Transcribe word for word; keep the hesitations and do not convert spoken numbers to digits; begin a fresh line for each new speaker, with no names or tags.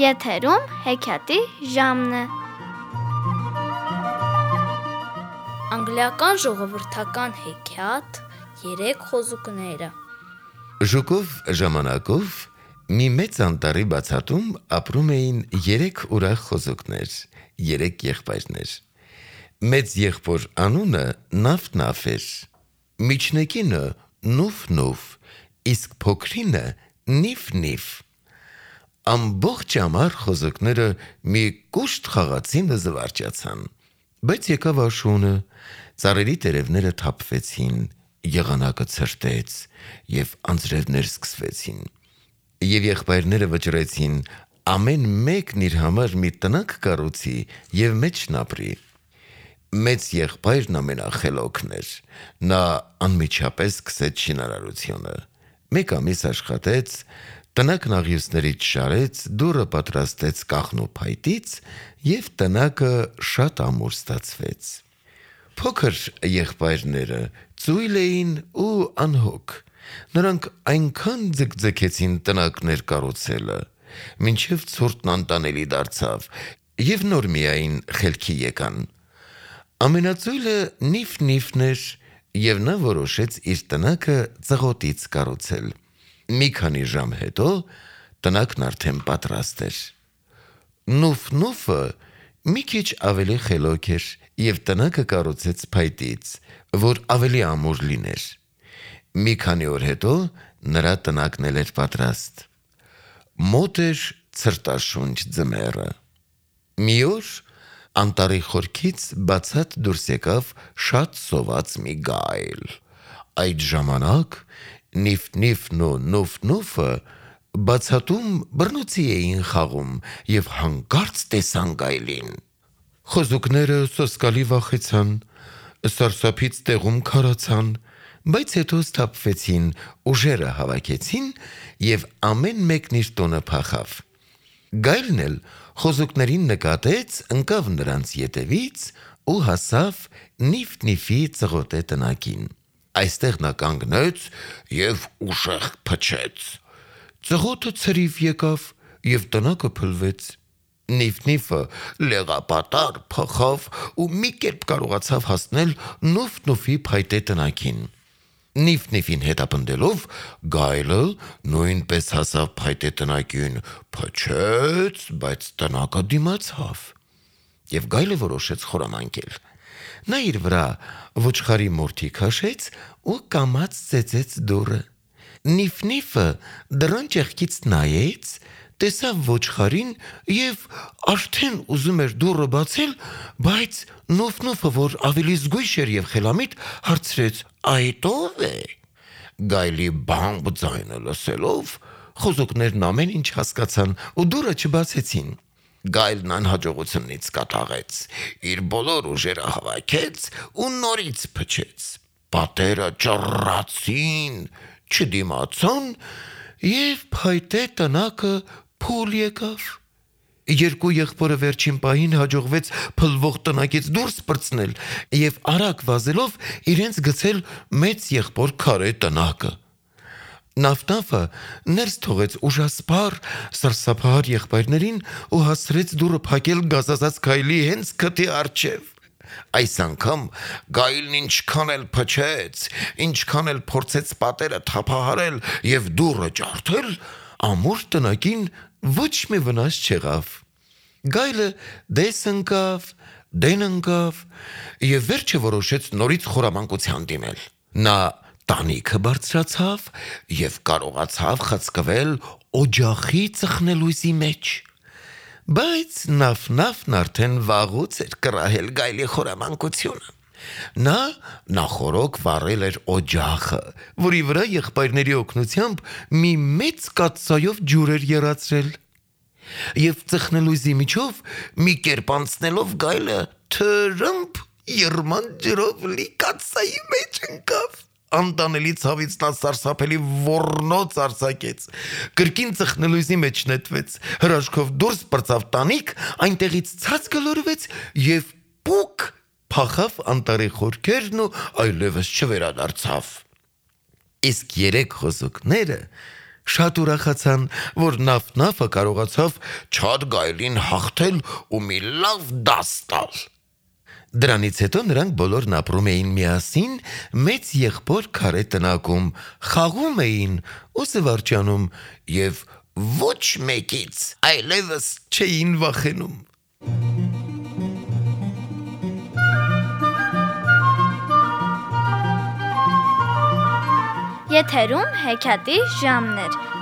Եթերում հեքիաթի ժամն է։ Անգլիական ժողովրդական հեքիաթ երեք խոզուկները։
Ժուկով ժամանակով մի մեծ անտառի բացատում ապրում էին երեք ուրախ խոզուկներ, երեք եղբայրներ։ Մեծ եղբոր անունը Նաֆ-Նաֆ էր, միջնեկինը Նուֆ-Նուֆ, իսկ փոքրինը Նիֆ-Նիֆ։ Ամբողջ ամառ խոզուկները մի կուշտ խաղացին ու զվարճացան, բայց եկավ աշունը, ծառերի տերևները թափվեցին, եղանակը ցրտեց և անձրևներ սկսվեցին, և եղբայրները վճռեցին ամեն մեկն իր համար մի տնակ կառուցի և մեջն ապրի։ Մեծ եղբայրն ամենախելոքն էր, նա անմիջապես սկսեց շինարարությունը, մեկ ամիս աշխատեց, տնակն աղյուսներից շարեց, դուռը պատրաստեց կաղնու փայտից և տնակը շատ ամուր ստացվեց։ Փոքր եղբայրները ծույլ էին ու անհոգ, նրանք այնքան ձգձգեցին տնակներ կառուցելը, մինչև ցուրտն անտանելի դարձավ և նոր միայն խելքի եկան։ Ամենածույլը Նիֆ-Նիֆն էր և նա որոշեց իր տնակը ծղոտից կառուցել։ Մի քանի ժամ հետո տնակն արդեն պատրաստ էր։ Նուֆ-Նուֆը մի քիչ ավելի խելոք էր և տնակը կառուցեց փայտից, որ ավելի ամուր լիներ։ Մի քանի օր հետո նրա տնակն էլ էր պատրաստ։ Մոտ էր ցրտաշունչ ձմեռը։ Մի օր անտառի խորքից բացատ դուրս եկավ շատ սոված մի գայլ։ Այդ ժամանակ Նիֆ-Նիֆն ու Նուֆ-Նուֆը բացատում բռնոցի էին խաղում և հանկարծ տեսան գայլին։ Խոզուկները սոսկալի վախեցան, սարսափից տեղում քարացան, բայց հետո սթափվեցին, ուժերը հավաքեցին և ամեն մեկն իր տունը փախավ։ Գայլն էլ խոզուկներին նկատեց, ընկավ նրանց ետևից ու հասավ Նիֆ-Նիֆի ծղոտե տնակին։ Այստեղ նա կանգնեց և ուժեղ փչեց։ Ծղոտը ցրիվ եկավ և տնակը փլվեց։ Նիֆ-Նիֆը լեղապատառ փախավ ու մի կերպ կարողացավ հասնել Նուֆ-Նուֆի փայտե տնակին։ Նիֆ-Նիֆին հետապնդելով գայլը նույնպես հասավ փայտե տնակին, փչեց, բայց տնակը դիմացավ, և գայլը որոշեց խորամանկել։ Նա իր վրա ոչխարի մորթի քաշեց ու կամաց ծեծեց դուռը։ Նիֆ-Նիֆը դռան ճեղքից նայեց, տեսավ ոչխարին և արդեն ուզում էր դուռը բացել, բայց Նուֆ-Նուֆը, որ ավելի զգույշ էր և խելամիտ, հարցրեց. «Այդ ո՞վ է»։ Գայլի բամբ ձայնը լսելով խոզուկներն ամեն ինչ հասկացան ու դուռը չբացեցին։ Գայլն անհաջողությունից կատաղեց, իր բոլոր ուժերը հավաքեց ու նորից փչեց։ Պատերը ճռռացին, չդիմացան և փայտե տնակը փուլ եկավ։ Երկու եղբորը վերջին պահին հաջողվեց փլվող տնակից դուրս պրծնել և արագ վազելով իրենց գցել մեծ եղբոր քարե տնակը։ Նաֆ-Նաֆը ներս թողեց ուժասպառ, սարսափահար եղբայրներին ու հասցրեց դուռը փակել գազազած գայլի հենց քթի առջև։ Այս անգամ գայլն ինչքան էլ փչեց, ինչքան էլ փորձեց պատերը թափահարել և դուռը ջարդել, ամուր տնակին ոչ մի վնաս չեղավ։ Գայլը դես ընկավ, դեն ընկավ և վերջը որոշեց նորից խորամանկության դիմել։ Նա տանիքը բարձրացավ և կարողացավ խցկվել օջախի ծխնելույզի մեջ։ Բայց Նաֆ-Նաֆն արդեն վաղուց էր կռահել գայլի խորամանկությունը։ Նա նախօրոք վառել էր օջախը, որի վրա եղբայրների օգնությամբ մի մեծ կաթսայով ջուր էր եռացրել։ Եվ ծխնելույզի միջով մի կերպ անցնելով գայլը թրըմփ եռման ջրով լի կաթսայի մեջ ընկավ։ Անտանելի ցավից նա սարսափելի ոռնոց արձակեց, կրկին ծխնելույզի մեջ նետվեց, հրաշքով դուրս պրծավ տանիք, այնտեղից ցած գլորվեց և պուկ փախավ անտառի խորքերն ու այլևս չվերադարձավ։ Իսկ երեք խոզուկները Շատ ուրախացան, որ Նաֆ-Նաֆը կարողացավ Չադ գայլին հաղթել ու մի լավ դաս տալ։ Դրանից հետո նրանք բոլորն ապրում էին միասին մեծ եղբոր քարե տնակում, խաղում էին ու զվարճանում և ոչ մեկից այլևս չէին վախենում։
Եթերում հեքիաթի ժամն էր։